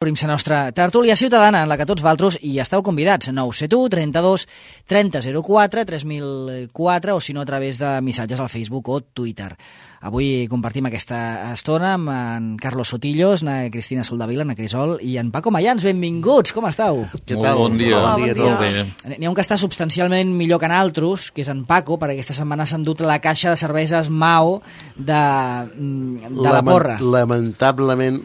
Obrim la nostra tertúlia ciutadana en la que tots valtros hi esteu convidats. 971 32 30 04 3004 o si no a través de missatges al Facebook o Twitter. Avui compartim aquesta estona amb en Carlos Sotillos, na Cristina Soldavila, na Crisol i en Paco Mayans. Benvinguts, com esteu? Què tal? Bon dia. Bon dia. N'hi ha un que està substancialment millor que en altres, que és en Paco, perquè aquesta setmana s'ha endut la caixa de cerveses Mao de la porra. Lamentablement,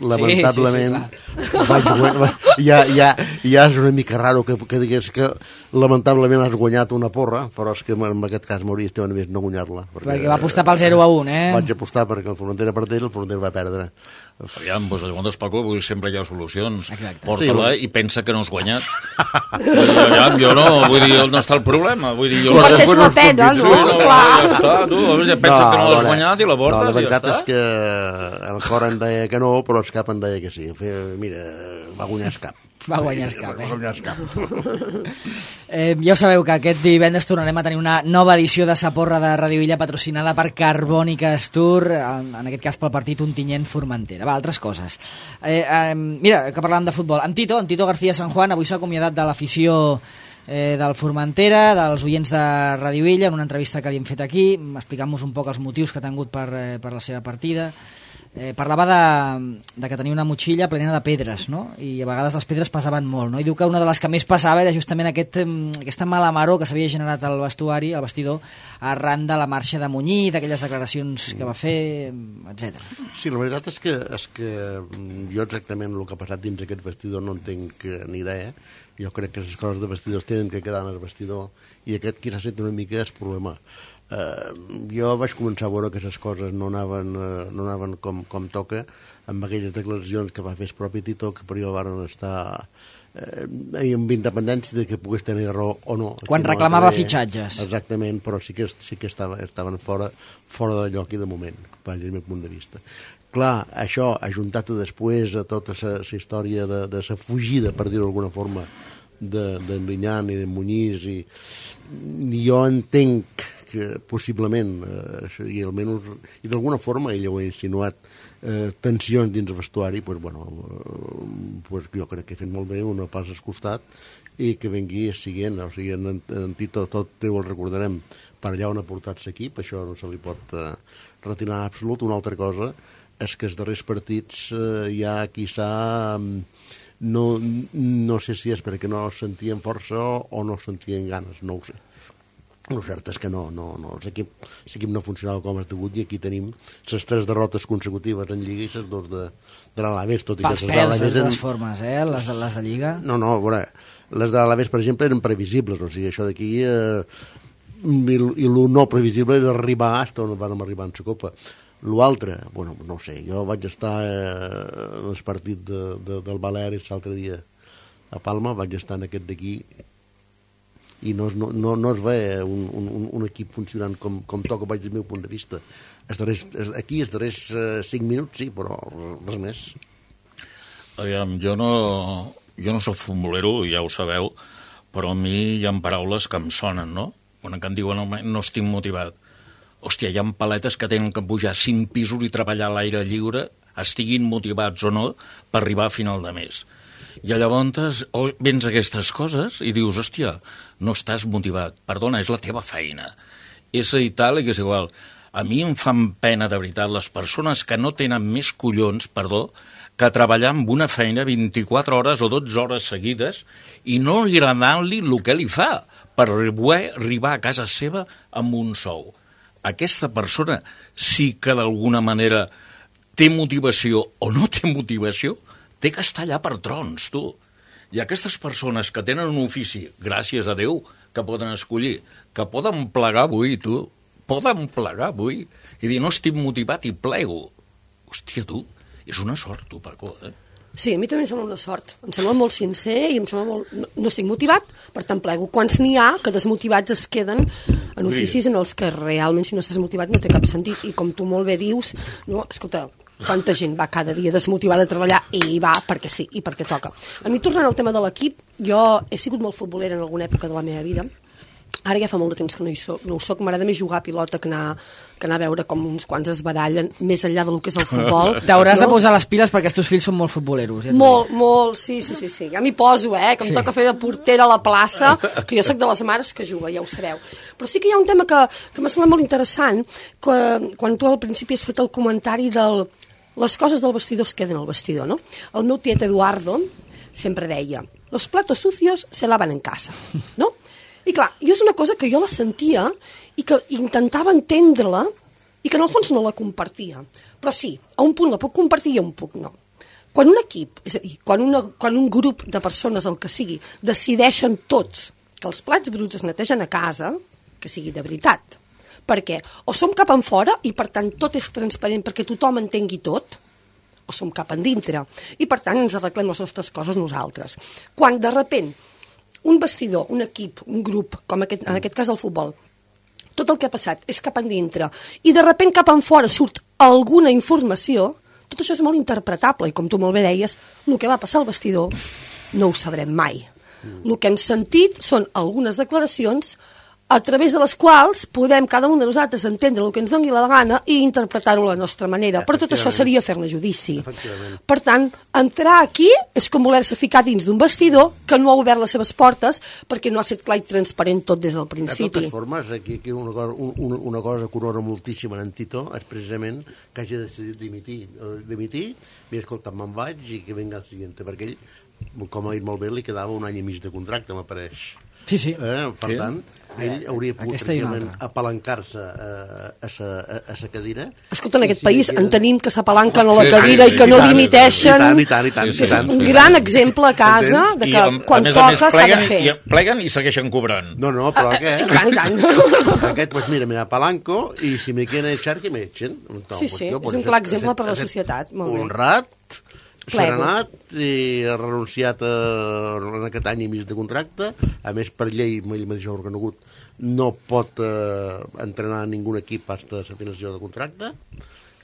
Sí, ja és una mica raro que digués que lamentablement has guanyat una porra, però és que en aquest cas m'hauria estat més no guanyar-la. Perquè va apostar pel 0-1, Vaig apostar perquè el Formentera perdés i el Formentera va perdre. Aviam, doncs llavors, Paco, sempre hi ha solucions. Exacte. Porta-la i pensa que no has guanyat. Aviam, jo no, vull dir, on està el problema? Vull dir, jo no portes la pena, no? Clar. Ja està, tu, pensa que no l'has guanyat i la portes, no, la veritat ja és que el cor em deia que no, però el cap em deia que sí. Mira, va guanyar el cap. Va guanyar el cap, Va guanyar el cap. Ja ho sabeu que aquest divendres tornarem a tenir una nova edició de Sa Porra de Radio Illa patrocinada per Carbònica Tour, en aquest cas pel partit Ontinyent-Formentera. Va, altres coses. Mira, que parlàvem de futbol. En Tito García San Juan avui s'ha acomiadat de l'afició del Formentera, dels oients de Radio Illa, en una entrevista que li hem fet aquí, explicant-nos un poc els motius que ha tingut per la seva partida. Parlava de que tenia una motxilla plena de pedres, no? I a vegades les pedres pesaven molt, no? I diu que una de les que més passava era justament aquesta mala maror que s'havia generat al vestuari, al vestidor, arran de la marxa de Muñiz, d'aquelles declaracions que va fer, etc. Sí, la veritat és que jo exactament el que ha passat dins aquest vestidor no en tinc ni idea. Jo crec que les coses de vestidors tenen que quedar en el vestidor i aquest qui s'ha set una mica és problema. Jo vaig començar a veure que aquestes coses no anaven com toca amb aquelles declaracions que va fer el propi Tito, que per jo van estar amb independència de que pogués tenir raó o no. Quan reclamava fitxatges. Exactament, però sí que estaven fora de lloc i de moment, des del meu punt de vista. Clar, això, ajuntat després a tota la història de la fugida, per dir-ho d'alguna forma, d'en Linyan i d'en Muñiz, i jo entenc que possiblement, i almenys, i d'alguna forma ell ho ha insinuat, tensions dins el vestuari, pues jo crec que he fet molt bé una pas al costat i que vengui siguent, o sigui, en Tito tot el recordarem per allà on ha portat l'equip, això no se li pot retirar en absolut. Una altra cosa és que els darrers partits ja quizà no sé si és perquè no sentien força o no sentien ganes, no ho sé. El cert és que l'equip no funcionava com es degut i aquí tenim les 3 derrotes consecutives en Lliga i les 2 de l'Alaves, tot i que les d'Alaves... Pels pèls, de totes formes, les de Lliga. No, a veure, les de l'Alaves, per exemple, eren previsibles, o sigui, això d'aquí... I el no previsible era arribar on vam arribar en la Copa. L'altre, no sé, jo vaig estar en el partit del Baleares l'altre dia a Palma, vaig estar en aquest d'aquí i no es ve un equip funcionant com toca, vaig del meu punt de vista. Aquí els darrers 5 minuts sí, però res més. Aviam, jo no soc futbolero, ja ho sabeu, però a mi hi ha paraules que em sonen, no? Quan em diuen no estic motivat. Hòstia, hi ha paletes que tenen que pujar 5 pisos i treballar a l'aire lliure, estiguin motivats o no, per arribar a final de mes. I llavors vens aquestes coses i dius, hòstia, no estàs motivat. Perdona, és la teva feina. És i tal, i que és igual. A mi em fan pena, de veritat, les persones que no tenen més collons, que treballar amb una feina 24 hores o 12 hores seguides i no agradant-li el que li fa per arribar a casa seva amb un sou. Aquesta persona sí que d'alguna manera té motivació o no té motivació, té que estar allà per trons, tu. I aquestes persones que tenen un ofici, gràcies a Déu, que poden escollir, que poden plegar avui, tu, i dir, no estic motivat i plego. Hòstia, tu, és una sort, tu, Paco, Sí, a mi també em sembla una sort. Em sembla molt sincer i em sembla molt... No estic motivat, per tant plego. Quants n'hi ha que desmotivats es queden en oficis en els que realment si no estàs motivat no té cap sentit. I com tu molt bé dius, no, escolta, quanta gent va cada dia desmotivada a treballar i va perquè sí, i perquè toca. A mi, tornant al tema de l'equip, jo he sigut molt futbolera en alguna època de la meva vida Ara ja fa molt de temps que no ho soc. M'agrada més jugar a pilota que anar a veure com uns quants es barallen, més enllà del que és el futbol. T'hauràs de posar les piles perquè els teus fills són molt futboleros. Ja molt, sí. Ja m'hi poso, que em toca fer de portera a la plaça, que jo soc de les mares que juga, ja ho sabeu. Però sí que hi ha un tema que m'ha semblat molt interessant, quan tu al principi has fet el comentari les coses del vestidor es queden al vestidor, no? El meu tiet Eduardo sempre deia, los platos sucios se lavan en casa, no? I clar, jo és una cosa que jo la sentia i que intentava entendre-la i que en el fons no la compartia. Però sí, a un punt la puc compartir i a un punt no. Quan un equip, és a dir, quan un grup de persones, el que sigui, decideixen tots que els plats bruts es netegen a casa, que sigui de veritat. Perquè o som cap enfora i per tant tot és transparent perquè tothom entengui tot, o som cap endintre i per tant ens arreglem les nostres coses nosaltres. Quan de repent un vestidor, un equip, un grup, com en aquest cas del futbol, tot el que ha passat és cap endintre i de repent cap enfora surt alguna informació, tot això és molt interpretable i com tu molt bé deies, el que va passar al vestidor no ho sabrem mai. El que hem sentit són algunes declaracions a través de les quals podem cada un de nosaltres entendre el que ens doni la gana i interpretar-ho a la nostra manera. Però tot això seria fer-ne judici. Per tant, entrar aquí és com voler-se ficar dins d'un vestidor que no ha obert les seves portes perquè no ha estat clar i transparent tot des del principi. De totes formes, aquí una cosa que honora moltíssim en Tito és precisament que hagi decidit dimitir, i escolta, me'n vaig i que venga el següent, perquè ell, com ha dit molt bé, li quedava un any i mig de contracte, m'apareix. Sí. Per tant, ell hauria pogut apalancar-se a sa cadira. Escolta, en aquest país en tenim que s'apalanquen a la cadira i que no dimiteixen. I tant. És un gran exemple a casa de que quan toca s'ha de fer. I pleguen i segueixen cobrant. No, però aquest... I tant. Aquest, pues mira, me apalanco i si me quieren echar, que me echen. Sí, és un clar exemple per a la societat. Honrat, serenat i ha renunciat en aquest any i mig de contracte. A més, per llei, ell mateix ha reconegut, no pot entrenar a ningú equip fins a la finalització de contracte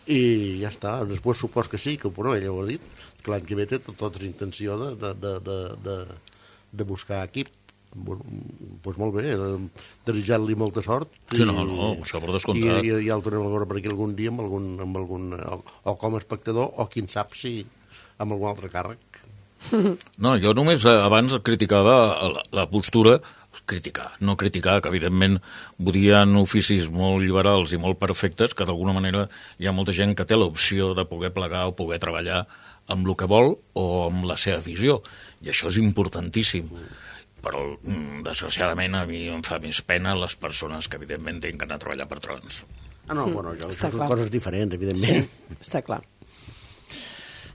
i ja està. Després supos que sí, que ell ho ha dit, que l'any que ve té tota la intenció de buscar equip. Doncs molt bé, desitjar-li molta sort. Sí, no, això per descomptat. I el tornem a veure per aquí algun dia amb algun o com a espectador o qui en sap si amb algun altre càrrec. No, jo només abans criticava la postura, no criticar, que evidentment volien oficis molt liberals i molt perfectes, que d'alguna manera hi ha molta gent que té l'opció de poder plegar o poder treballar amb el que vol o amb la seva visió, i això és importantíssim. Però, desgraciadament, a mi em fa més pena les persones que, evidentment, tenen que anar a treballar per trons. No, això són coses diferents, evidentment. Sí, està clar.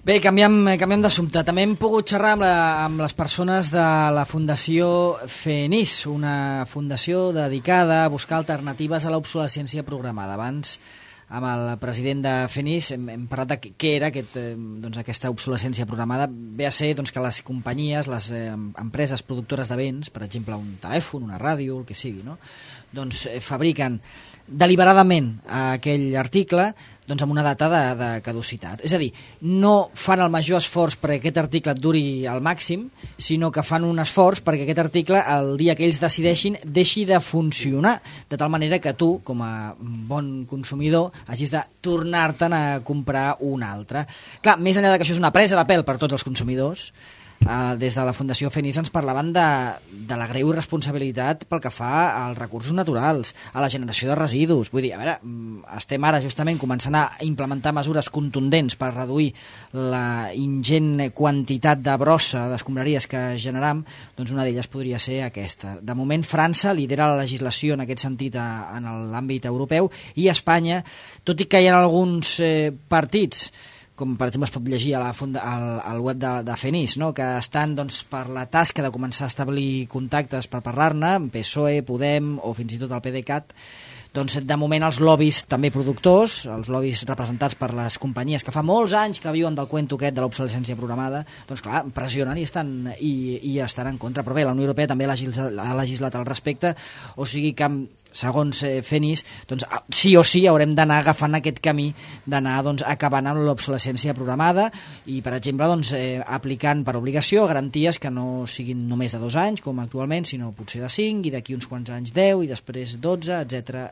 Bé, canviem d'assumpte. També hem pogut xerrar amb les persones de la Fundació FENIS, una fundació dedicada a buscar alternatives a l'obsolescència programada. Abans, amb el president de FENIS, hem parlat de què era aquesta obsolescència programada. Ve a ser que les companyies, les empreses productores de béns, per exemple un telèfon, una ràdio, el que sigui, no? Fabriquen deliberadament aquell article amb una data de caducitat. És a dir, no fan el major esforç perquè aquest article et duri al màxim, sinó que fan un esforç perquè aquest article, el dia que ells decideixin, deixi de funcionar, de tal manera que tu, com a bon consumidor, hagis de tornar-te'n a comprar un altre. Clar, més enllà que això és una presa de pèl per tots els consumidors, des de la Fundació FENIS ens parlaven de la greu irresponsabilitat pel que fa als recursos naturals, a la generació de residus. Vull dir, a veure, estem ara justament començant a implementar mesures contundents per reduir la ingent quantitat de brossa d'escombraries que generam, doncs una d'elles podria ser aquesta. De moment, França lidera la legislació en aquest sentit en l'àmbit europeu i Espanya, tot i que hi ha alguns partits com per exemple es pot llegir al web de FENIS, no? Que estan per la tasca de començar a establir contactes per parlar-ne, PSOE, Podem o fins i tot el PDeCAT, doncs de moment els lobbies també productors, els lobbies representats per les companyies que fa molts anys que viuen del cuento aquest de l'obsolescència programada, doncs clar, pressionen i estan en contra. Però bé, la Unió Europea també ha legislat al respecte, o sigui que segons FENIS, doncs sí o sí haurem d'anar agafant aquest camí d'anar acabant amb l'obsolescència programada i, per exemple, aplicant per obligació garanties que no siguin només de 2 anys, com actualment, sinó potser de 5 i d'aquí uns quants anys 10 i després 12, etc.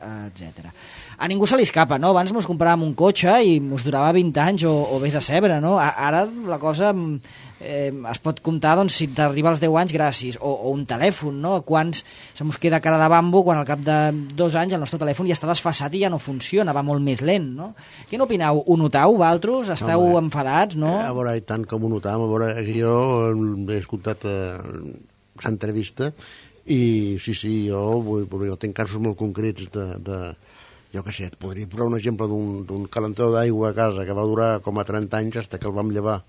A ningú se li escapa, no? Abans mos compràvem un cotxe i mos durava 20 anys o vés a saber, no? Ara la cosa es pot comptar si t'arriba als 10 anys gràcies, o un telèfon, no? Quants se mos queda cara de bambo quan al cap de 2 anys el nostre telèfon ja està desfasat i ja no funciona, va molt més lent, no? Què n'opineu? Ho notau, vosaltres? Esteu enfadats, no? A veure, i tant com ho notam, a veure, jo he escoltat l'entrevista i sí, jo tinc casos molt concrets jo què sé, et podria posar un exemple d'un calentador d'aigua a casa que va durar com a 30 anys fins que el vam llevar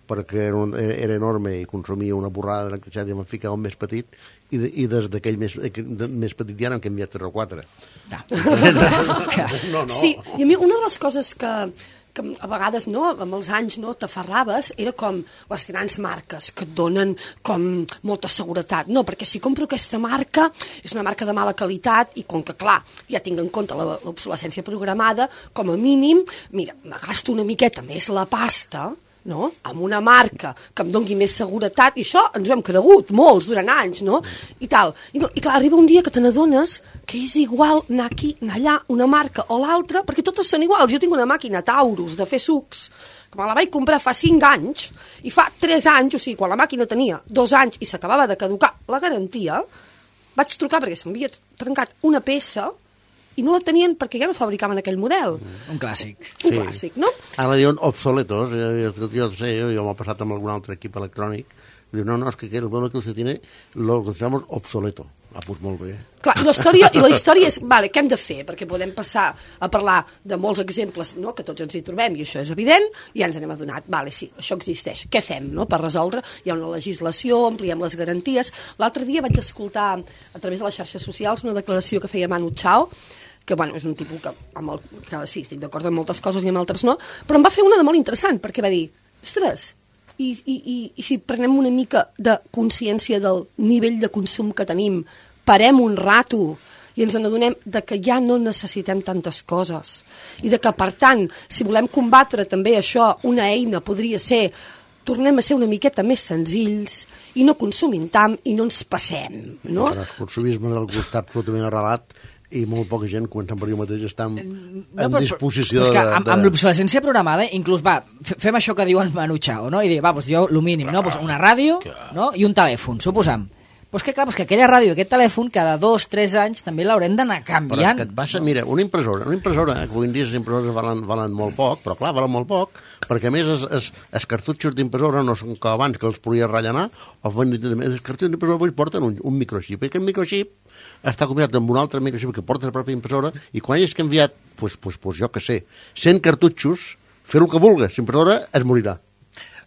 perquè era enorme i consumia una borrada d'electricitat i em ficava un més petit i des d'aquell més petit ja n'hem canviat 3 o 4. No. Sí, i a mi una de les coses que a vegades, no, amb els anys t'aferraves, era com les grans marques que et donen com molta seguretat. No, perquè si compro aquesta marca, és una marca de mala qualitat i com que, clar, ja tinc en compte l'obsolescència programada, com a mínim, mira, me gasto una miqueta més la pasta, no? Amb una marca que em doni més seguretat, i això ens ho hem cregut molts durant anys, no? I tal. I clar, arriba un dia que te n'adones que és igual anar aquí, anar allà, una marca o l'altra, perquè totes són iguals. Jo tinc una màquina Taurus de fer sucs que me la vaig comprar fa 5 anys i fa 3 anys, o sigui, quan la màquina tenia 2 anys i s'acabava de caducar la garantia, vaig trucar perquè s'havia trencat una peça i no la tenien perquè ja no fabricaven aquell model. Un clàssic. Un clàssic, no? Ara diuen obsoletos, jo sé, jo m'ho he passat amb algun altre equip electrònic, diu, no, és que el modelo que usted tiene lo consideramos obsoleto. Pues molt bé. Clar, i la història és, vale, què hem de fer? Perquè podem passar a parlar de molts exemples, no?, que tots ens hi trobem, i això és evident, i ja ens n'hem adonat. Vale, sí, això existeix. Què fem, no?, per resoldre? Hi ha una legislació, ampliem les garanties. L'altre dia vaig escoltar, a través de les xarxes socials, una declaració que feia Manu Chao, que, bueno, és un tipus que sí, estic d'acord amb moltes coses i amb altres no, però em va fer una de molt interessant, perquè va dir, ostres, i si prenem una mica de consciència del nivell de consum que tenim, parem un rato i ens n'adonem de que ja no necessitem tantes coses i de que, per tant, si volem combatre també això, una eina podria ser tornem a ser una miqueta més senzills i no consumim tant i no ens passem, no? El consumisme del costat absolutament arrelat i molt poca gent, començant per jo mateix, està en disposició de... Amb l'obsolescència programada, inclús, fem això que diuen Manu Chao, no? I dir, doncs jo, el mínim, no? Pues una ràdio, no? I un telèfon, suposam. Pues que, clar, que aquella ràdio i aquest telèfon, cada 2-3 anys, també l'haurem d'anar canviant. Però és que et passa, mira, una impressora, que avui en dia les impressores valen molt poc, però clar, valen molt poc, perquè a més els cartutxos d'impressora no són com abans, que els podies rellenar, els cartutxos d'impressora avui porten un microxip, i aquest microxip està combinat amb un altre microxip que porta la pròpia impressora, i quan hagis canviat, pues jo què sé, 100 cartutxos, fer el que vulguis, l'impressora es morirà.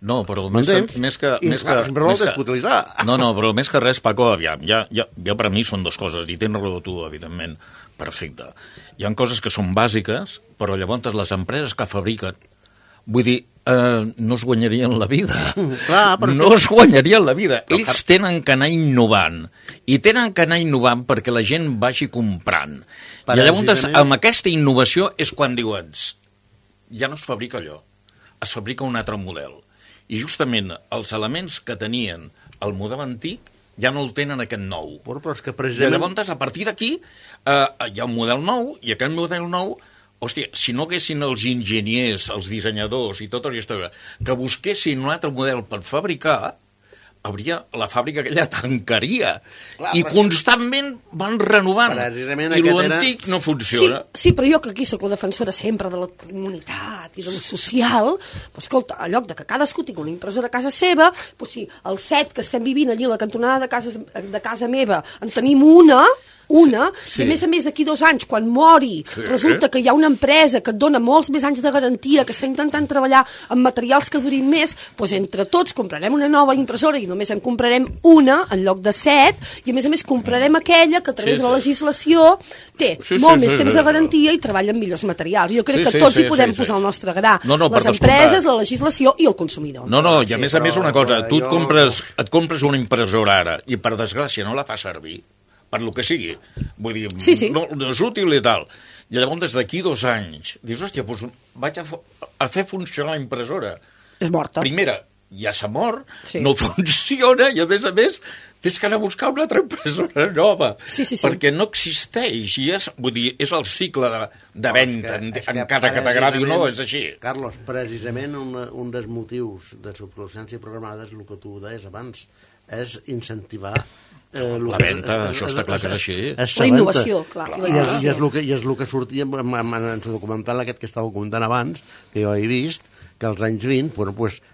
No, però més que res, Paco, aviam, ja per a mi són 2 coses, i tens raó tu, evidentment, perfecte. Hi ha coses que són bàsiques, però llavors les empreses que fabriquen, vull dir, no es guanyarien la vida. No es guanyarien la vida. Ells tenen que anar innovant, i tenen que anar innovant perquè la gent vagi comprant. I llavors, amb aquesta innovació és quan diuen, ja no es fabrica allò, es fabrica un altre model. I justament els elements que tenien el model antic ja no el tenen aquest nou. Però és que precisament... I llavors, a partir d'aquí, hi ha un model nou, i aquest model nou, hòstia, si no haguessin els enginyers, els dissenyadors i tota la història, que busquessin un altre model per fabricar, la fàbrica aquella tancaria. I constantment van renovant. I l'antic no funciona. Sí, però jo que aquí sóc la defensora sempre de la comunitat i de lo social, doncs escolta, a lloc de que cadascú tingui una impressora a casa seva, doncs si el set que estem vivint allí a la cantonada de casa meva en tenim una, una, Sí. i a més d'aquí 2 anys, quan mori, resulta que hi ha una empresa que et dona molts més anys de garantia, que està intentant treballar amb materials que durin més, doncs entre tots comprarem una nova impressora i només en comprarem una en lloc de 7, i a més comprarem aquella que a través de la legislació té molt més temps de garantia i treballa amb millors materials. Jo crec que tots hi podem posar el nostre gra. Les empreses, la legislació i el consumidor. No, i a més una cosa, tu et compres una impressora ara i per desgràcia no la fa servir, per lo que sigui. Vull dir, no és útil i tal. I llavors, des d'aquí 2 anys, dius, hòstia, doncs vaig a fer funcionar la impressora. És morta. Primera, ja s'ha mort, no funciona, i a més, tens que anar a buscar una altra impressora nova, perquè no existeix, i vull dir, és el cicle de venda, encara que t'agradi o no, és així. Carlos, precisament un dels motius de l'obsolescència programada és el que tu deies abans, és incentivar la venda, això està clar que és així. La innovació, clar. I és el que sortia en el documental aquest que estava comentant abans, que jo he vist, que als anys 20,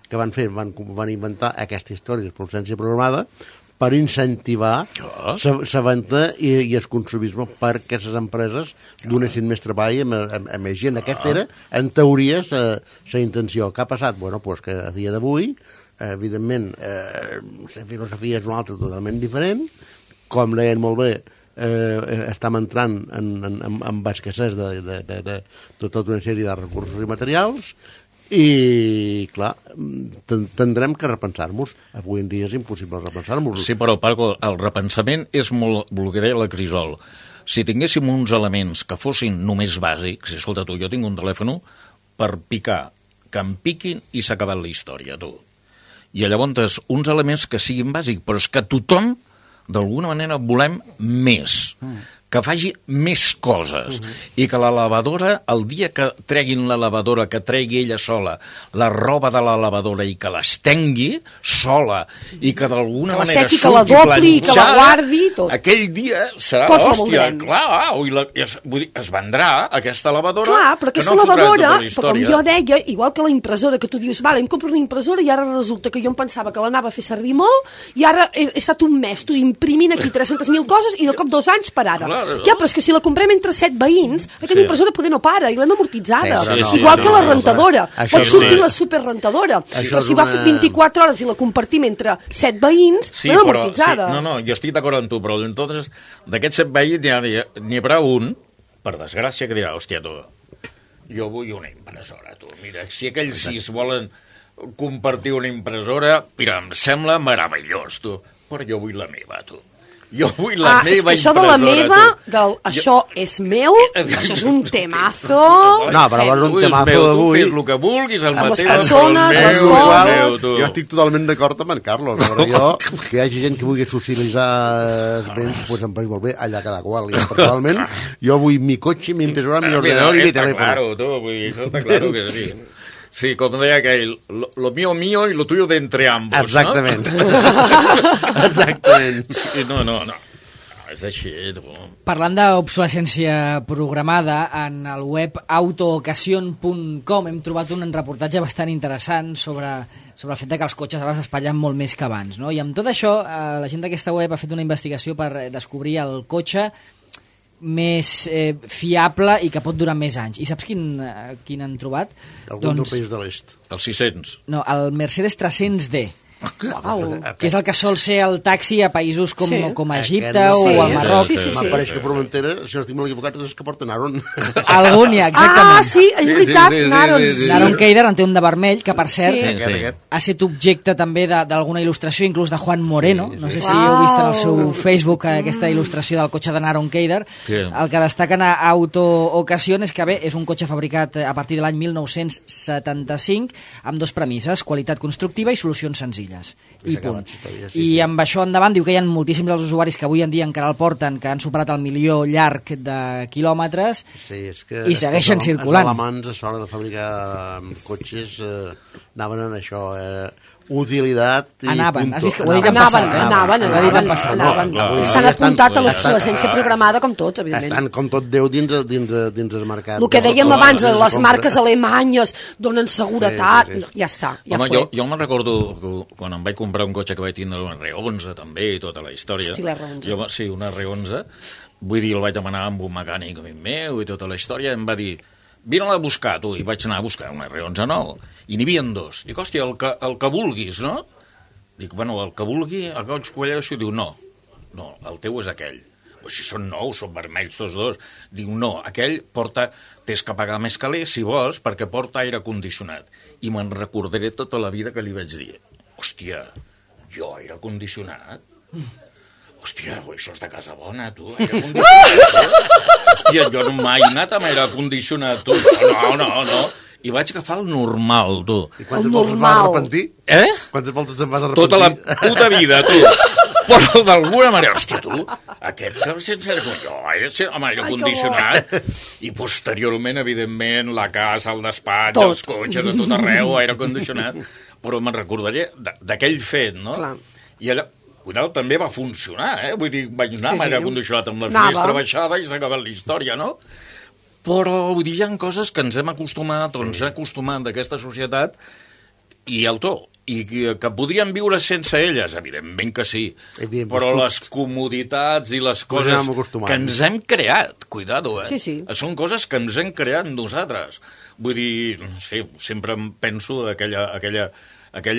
què van fer? Van inventar aquesta història d'obsolescència programada per incentivar la venda i el consumisme perquè les empreses donessin més treball a més gent. Aquesta era, en teoria, la intenció. Què ha passat? Bueno, que a dia d'avui, evidentment, la filosofia és una altra totalment diferent. Com deien molt bé, estem entrant en escassez de tota una sèrie de recursos i materials, i, clar, tindrem que repensar-nos. Avui en dia és impossible repensar-nos. Sí, però, Paco, el repensament és molt el que deia la Crisol. Si tinguéssim uns elements que fossin només bàsics, escolta, tu, jo tinc un telèfon per picar, que em piquin i s'ha acabat la història, tu. I llavors, uns elements que siguin bàsics, però és que tothom, d'alguna manera, volem més. Que faci més coses, i que la lavadora, el dia que treguin la lavadora, que tregui ella sola la roba de la lavadora i que l'estengui sola, i que d'alguna manera surti que la dobli, que la guardi, tot. Aquell dia serà, hòstia, clar, es vendrà aquesta lavadora. Clar, però aquesta lavadora, com jo deia, igual que la impressora, que tu dius, vale, em compro una impressora i ara resulta que jo em pensava que l'anava a fer servir molt, i ara he estat un mes, tu imprimint aquí 300.000 coses i de cop 2 anys parada. Ja, però és que si la comprem entre 7 veïns, aquesta impressora poder no para i l'hem amortitzada. Igual que la rentadora. Pot sortir la superrentadora. Però si va fer 24 hores i la compartim entre 7 veïns, l'hem amortitzada. No, jo estic d'acord amb tu, però entonces d'aquests 7 veïns n'hi haurà un, per desgràcia, que dirà, hòstia, tu, jo vull una impressora, tu. Mira, si aquells 6 volen compartir una impressora, mira, em sembla meravellós, tu, però jo vull la meva, tu. Jo vull la meva impressora. Això de la meva, això és meu, això és un temazo. No, però és un temazo d'avui. Tu fes el que vulguis, el mateix. Les persones, les coses. Jo estic totalment d'acord amb en Carlos. Però jo, que hi hagi gent que vulgui socialitzar els béns, doncs em pareix molt bé, allà cada qual. Jo, personalment, jo vull mi cotxe, mi impressora, mi ordenador i mi telèfon. Claro, tu, vull dir, això està claro que sí. Sí, com deia aquell, lo mío mío y lo tuyo de entre ambos, exactament. No? Exactament. Sí, no. És així, tu. Parlant d'obsolescència programada, en el web autoocasión.com hem trobat un reportatge bastant interessant sobre el fet que els cotxes ara s'espatllen molt més que abans, no? I amb tot això, la gent d'aquesta web ha fet una investigació per descobrir el cotxe més fiable i que pot durar més anys. I saps quin han trobat? Algun del país de l'est. El 600. No, el Mercedes 300D. Que és el que sol ser el taxi a països com a Egipte o al Marroc. M'apareix que Formentera, si no estic molt equivocat, és que porten Aron. Algun hi ha, exactament. Ah, sí, és veritat, Naron. Naron Keider en té un de vermell, que per cert ha estat objecte també d'alguna il·lustració, inclús de Juan Moreno. No sé si heu vist en el seu Facebook aquesta il·lustració del cotxe de Naron Keider. El que destaquen a Auto Ocasión és que, bé, és un cotxe fabricat a partir de l'any 1975 amb 2 premisses, qualitat constructiva i solucions senzilles. I punt. I amb això endavant diu que hi ha moltíssims dels usuaris que avui en dia encara el porten, que han superat el 1.000.000 llarg de quilòmetres i segueixen circulant. Els alemans a l'hora de fabricar cotxes anaven en això, utilitat i Anaven, punto. has vist que ho he dit en passat, eh? Anaven. S'han apuntat a l'obsolescència programada com tots, evidentment. Estan com tot Déu dins el mercat. El que dèiem abans, les marques alemanyes donen seguretat, ja està, ja home, fue. jo me'n recordo quan em vaig comprar un cotxe que vaig tindre un R11 també i tota la història. Hosti, l'R11. Sí, un R11. Vull dir, el vaig demanar amb un mecànic amic meu i tota la història. Em va dir, vine-la a buscar, tu. I vaig anar a buscar un R11 nou. I n'hi havia dos. Dic, hòstia, el que vulguis, no? Dic, bueno, el que vulgui, el que vaig collar això, diu, no, el teu és aquell. Pues si són nous, són vermells tots dos. Diu, no, aquell porta, tens que pagar més calés, si vols, perquè porta aire condicionat. I me'n recordaré tota la vida que li vaig dir, hòstia, jo aire condicionat? Hòstia, això és de casa bona, tu, aire condicionat. Hòstia, jo no mai he anat amb aire condicionat, tu. No. I vaig agafar el normal, tu. I quantes voltes vas arrepentir? Quantes voltes te'n vas arrepentir? Tota la puta vida, tu. Però d'alguna manera, hòstia, tu, aquest que sense amb aire condicionat, i posteriorment, evidentment, la casa, el despatx, els cotxes, a tot arreu, aire condicionat, però me'n recordaré d'aquell fet, no? Clar. I allà, cuidado, també va funcionar, Vull dir, vaig anar amb aire condicionat amb la finestra baixada i s'ha acabat la història, no? Però, vull dir, hi ha coses que ens hem acostumat, o ens hem acostumat d'aquesta societat, i el to, i que podríem viure sense elles, evidentment que sí, però les comoditats i les coses que ens hem creat, cuidado, Sí. Són coses que ens hem creat nosaltres. Vull dir, sí, sempre em penso aquella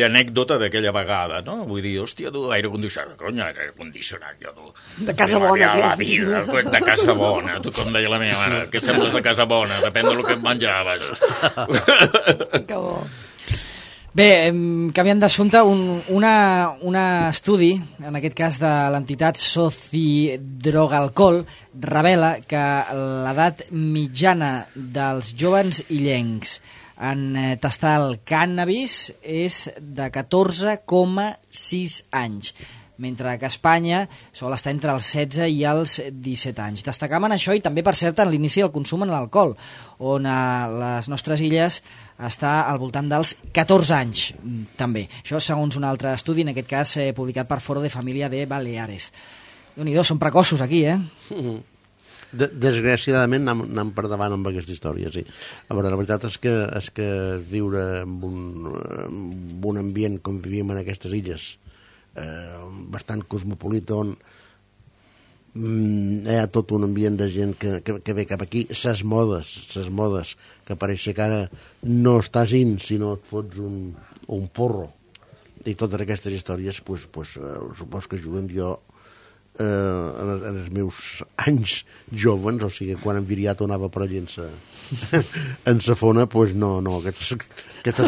anècdota d'aquella vegada, no? Vull dir, hòstia, tu, aire condicionat, conya, aire condicionat, jo, tu. De casa bona. La vida, de casa bona, tu, com deia la meva mare, que sembles de casa bona, depèn del que menjaves. Que bo. Bé, canviant d'assumpte, un estudi, en aquest cas de l'entitat Socidrogalcol, revela que l'edat mitjana dels joves illencs en tastar el cànnabis és de 14,6 anys, mentre que a Espanya sol estar entre els 16 i els 17 anys. Destacam en això i també, per cert, en l'inici del consum en l'alcohol, on a les nostres illes està al voltant dels 14 anys, també. Això segons un altre estudi, en aquest cas publicat per Foro de Família de Baleares. Déu-n'hi-do, són precoços aquí, Desgraciadament anem per davant amb aquesta història, sí. A veure, la veritat és que viure en un ambient com vivíem en aquestes illes, bastant cosmopolita, on hi ha tot un ambient de gent que ve cap aquí, ses modes, que pareix que ara no estàs in si no et fots un porro, i totes aquestes històries supos que ajuden. Jo en els meus anys jovens, o sigui, quan enviriat anava per allà en sa fona, no, aquestes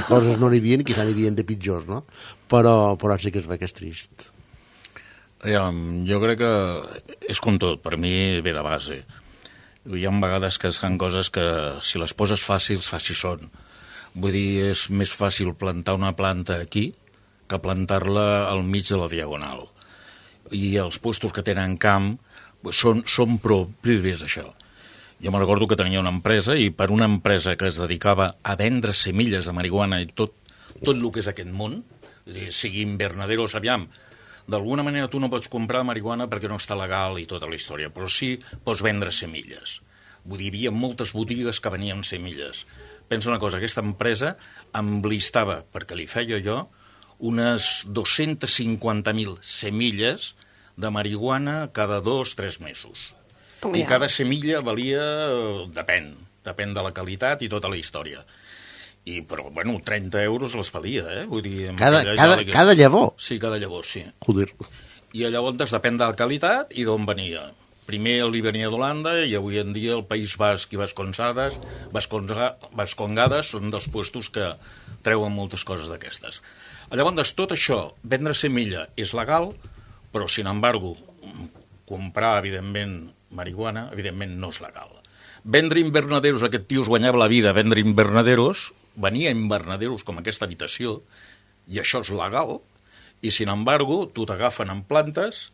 coses no n'hi havia, quizà n'hi havia de pitjors, no? Però sí que es ve que és trist. Jo crec que és com tot, per mi ve de base. Hi ha vegades que es fan coses que si les poses fàcils són. Vull dir, és més fàcil plantar una planta aquí que plantar-la al mig de la diagonal. I els puestos que tenen camp són propis d'això. Jo me recordo que tenia una empresa, i per una empresa que es dedicava a vendre semilles de marihuana i tot el que és aquest món, sigui invernaderos, aviam, d'alguna manera tu no pots comprar marihuana perquè no està legal i tota la història, però sí pots vendre semilles. Vull dir, hi havia moltes botigues que venien semilles. Pensa una cosa, aquesta empresa em blistava, perquè li feia jo, unes 250.000 semilles de marihuana cada 2-3 mesos. I cada semilla valia, depèn de la qualitat i tota la història. Però, 30 euros les valia, Vull dir... Cada llavor? Sí, cada llavor, sí. Joder. I llavors depèn de la qualitat i d'on venia. Primer li venia d'Holanda i avui en dia el País Basc i Vascongades són dels puestos que treuen moltes coses d'aquestes. Llavors, tot això, vendre semilla és legal, però, sin embargo, comprar, evidentment, marihuana, evidentment, no és legal. Vendre invernaderos, aquest tio es guanyava la vida, vendre invernaderos, venia invernaderos com aquesta habitació, i això és legal, i, sin embargo, tu t'agafen en plantes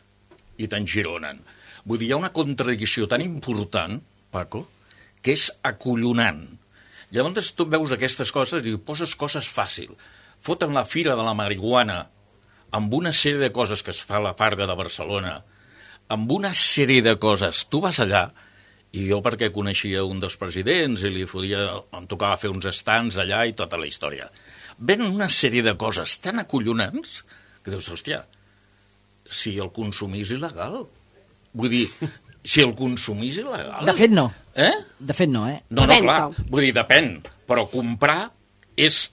i t'engironen. Vull dir, hi ha una contradicció tan important, Paco, que és acollonant. Llavors tu veus aquestes coses i poses coses fàcils. foten la Fira de la Marihuana amb una sèrie de coses que es fa a la Farga de Barcelona, amb una sèrie de coses. Tu vas allà, i jo perquè coneixia un dels presidents i em tocava fer uns stands allà i tota la història. Ven una sèrie de coses tan acollonants que dius, hòstia, si el consumís il·legal. Vull dir, si el consumís il·legal... De fet, no. De fet, no, No, clar, vull dir, depèn, però comprar és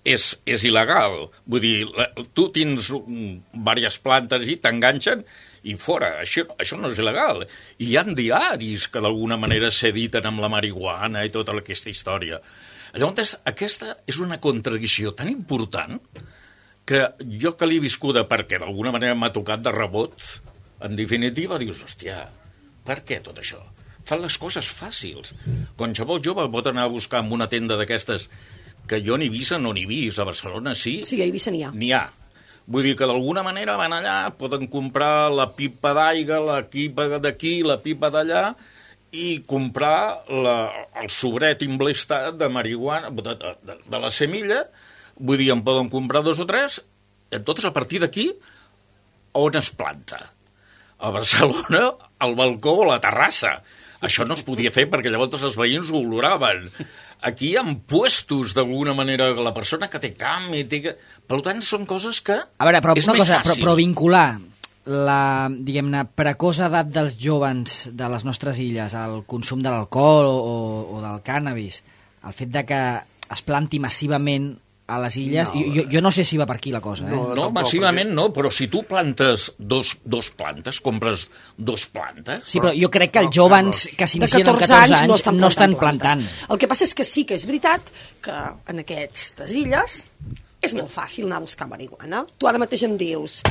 il·legal. Vull dir, tu tens diverses plantes i t'enganxen i fora. Això no és il·legal. I hi ha diaris que d'alguna manera s'editen amb la marihuana i tota aquesta història. Llavors, aquesta és una contradicció tan important que jo que l'he viscuda perquè d'alguna manera m'ha tocat de rebot, en definitiva, dius, hòstia, per què tot això? Fan les coses fàcils. Qualsevol jove pot anar a buscar en una tenda d'aquestes que jo ni vist no n'hi vist. A Barcelona sí. Sí, a Eivissa n'hi ha. N'hi ha. Vull dir que d'alguna manera van allà, poden comprar la pipa d'aigua, la pipa d'aquí, la pipa d'allà, i comprar el sobret imblestat de marihuana, de la semilla. Vull dir, en poden comprar 2 o 3, totes a partir d'aquí, on es planta. A Barcelona, al balcó o la terrassa. Això no es podia fer perquè llavors els veïns ho oloraven. Aquí hi ha puestos, d'alguna manera, la persona que té camp i té... Per tant, són coses que és més fàcil. Però vincular la, diguem-ne, precoç edat dels jovens de les nostres illes al consum de l'alcohol o del cànnabis, el fet de que es planti massivament a les illes, jo no sé si va per aquí la cosa. No, massivament no, però si tu plantes dos plantes, compres 2 plantes... Sí, però jo crec que els joves que s'inicien amb 14 anys no estan plantant. El que passa és que sí que és veritat que en aquestes illes és molt fàcil anar a buscar marihuana. Tu ara mateix em dius,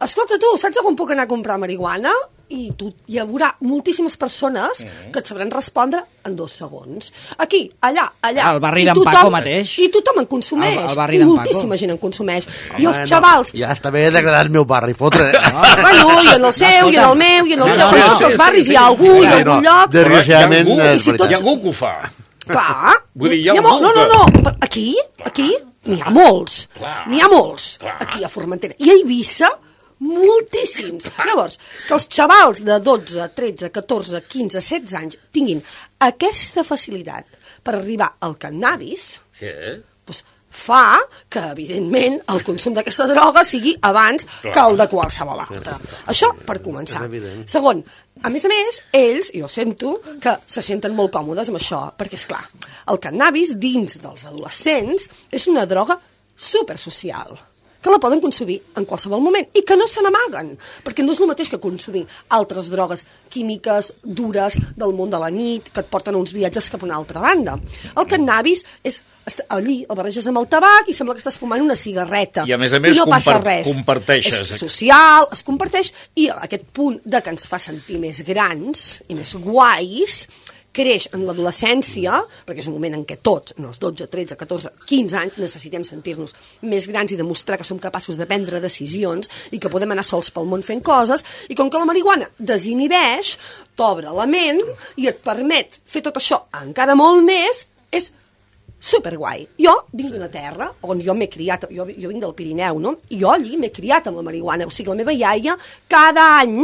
escolta tu, saps on puc anar a comprar marihuana? I hi haurà moltíssimes persones que et sabran respondre en 2 segons. Aquí, allà. Al barri d'en Paco mateix. I tothom en consumeix. Al barri d'en Paco. Moltíssima gent en consumeix. I els xavals... Ja està bé d'agradar el meu barri, fotre. Bueno, i en el seu, i en el meu, i en el seu. En tots els barris hi ha algú, i en algun lloc. Desgraciadament, és veritat. Hi ha algú que ho fa. Clar. Vull dir, hi ha algú que... No. Aquí n'hi ha molts. N'hi ha molts. Aquí a Formentera. I a Eivissa, moltíssims. Llavors, que els xavals de 12, 13, 14, 15, 16 anys tinguin aquesta facilitat per arribar al cannabis, doncs fa que, evidentment, el consum d'aquesta droga sigui abans que el de qualsevol altra. Això per començar. Segon, a més, ells, jo sento que se senten molt còmodes amb això, perquè, esclar, el cannabis dins dels adolescents és una droga supersocial, que la poden consumir en qualsevol moment i que no se n'amaguen, perquè no és el mateix que consumir altres drogues químiques dures del món de la nit que et porten a uns viatges cap a una altra banda. El cannabis és allí, el barreges amb el tabac i sembla que estàs fumant una cigarreta. I a més no passa res. Comparteixes. És social, es comparteix, i aquest punt de que ens fa sentir més grans i més guais creix en l'adolescència, perquè és un moment en què tots, en els 12, 13, 14, 15 anys, necessitem sentir-nos més grans i demostrar que som capaços de prendre decisions i que podem anar sols pel món fent coses, i com que la marihuana desinhibeix, t'obre la ment i et permet fer tot això encara molt més, és superguai. Jo vinc d'una terra on jo m'he criat, jo vinc del Pirineu, no? I jo allí m'he criat amb la marihuana, o sigui, la meva iaia cada any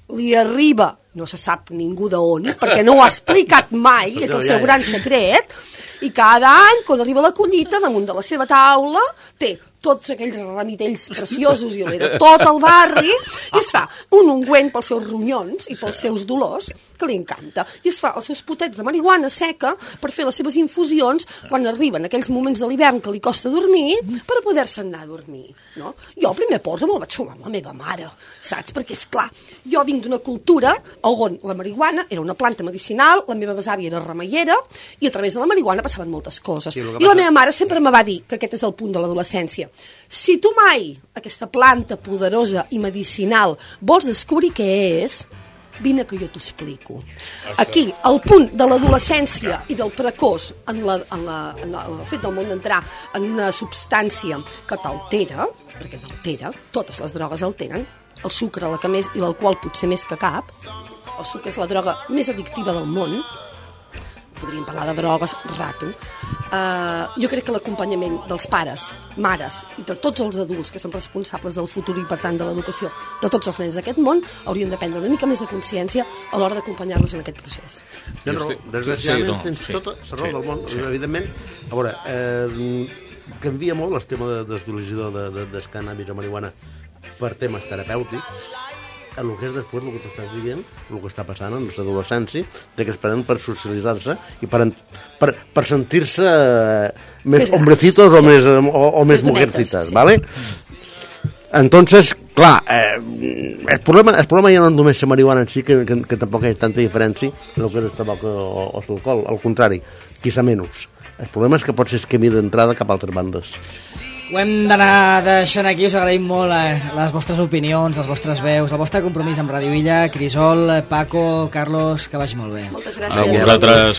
li arriba, no se sap ningú d'on, perquè no ho ha explicat mai, és el seu gran secret, i cada any, quan arriba la collita, damunt de la seva taula, té tots aquells ramitells preciosos i de tot el barri, i es fa un ungüent pels seus ronyons i pels seus dolors, que li encanta. I es fa els seus potets de marihuana seca per fer les seves infusions quan arriben aquells moments de l'hivern que li costa dormir, per poder-se anar a dormir. No? Jo el primer porro me'l vaig fumar amb la meva mare, saps? Perquè, és clar, jo vinc d'una cultura on la marihuana era una planta medicinal, la meva besàvia era remeiera, i a través de la marihuana passaven moltes coses. I la meva mare sempre me va dir que aquest és el punt de l'adolescència. Si tu mai aquesta planta poderosa i medicinal vols descobrir què és, vine que jo t'ho explico. Aquí, el punt de l'adolescència i del precoç en el fet del món d'entrar en una substància que t'altera, perquè t'altera, totes les drogues alteren, el sucre, la que més, i l'alcohol potser més que cap. El sucre és la droga més addictiva del món. Podríem parlar de drogues, rato. jo crec que l'acompanyament dels pares, mares i de tots els adults que són responsables del futur i, per tant, de l'educació de tots els nens d'aquest món haurien de prendre una mica més de consciència a l'hora d'acompanyar-los en aquest procés. Desgraciadament tens tota la raó del món, evidentment. A veure, canvia molt el tema d'utilització del cannabis o marihuana per temes terapèutics. El que és després, el que t'estàs dient, el que està passant en l'adolescència, que esperen per socialitzar-se i per sentir-se més hombrecitos o més mujercitas, ¿vale? Entonces, clar, el problema ja no és només la marihuana en si, que tampoc hi ha tanta diferència en el que és el tabac o l'alcohol, al contrari, quizá menys. El problema és que pot ser el camí d'entrada cap a altres bandes. Ho hem d'anar deixant aquí, us agraïm molt les vostres opinions, les vostres veus, el vostre compromís amb Radio Illa. Crisol, Paco, Carlos, que vagi molt bé. Moltes gràcies. A vosaltres.